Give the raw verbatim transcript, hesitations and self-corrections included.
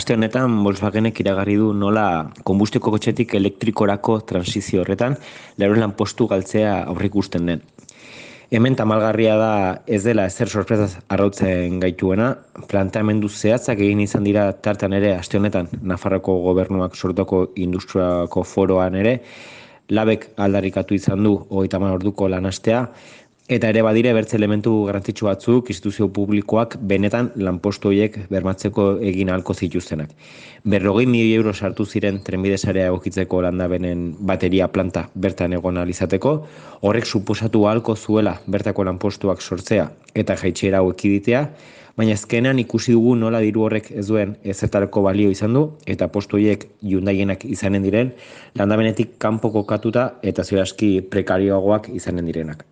aste honetan Volkswagenek iragarri du nola konbustiko kotxetik elektrikorako transizio horretan laurehun lanpostu galtzea aurreikusten den. Hemen tamalgarria da ez dela ezer sorpresaz arrautzen gaituena, planteamendu zehatzak egin izan dira tartan ere aste honetan Nafarroko gobernuak sortoko industriako foroan ere, labek aldarrikatu izan du hogeita hamar orduko lanastea, eta ere badire bertze elementu garrantzitsu batzuk instituzio publikoak benetan lanpostu horiek bermatzeko egin ahalko zituztenak. Berrogei milioi euro sartu ziren trenbide sarea egokitzeko landabenen bateria planta bertan egon ahal izateko, horrek suposatu ahalko zuela bertako lanpostuak sortzea eta jaitsiera hau ekiditea, baina azkenean ikusi dugu nola diru horrek ez duen ezertarako balio izan du eta postu horiek Hyundaienak izanen diren landabenetik kanpo kokatuta eta ziur aski prekarioagoak izanen direnak.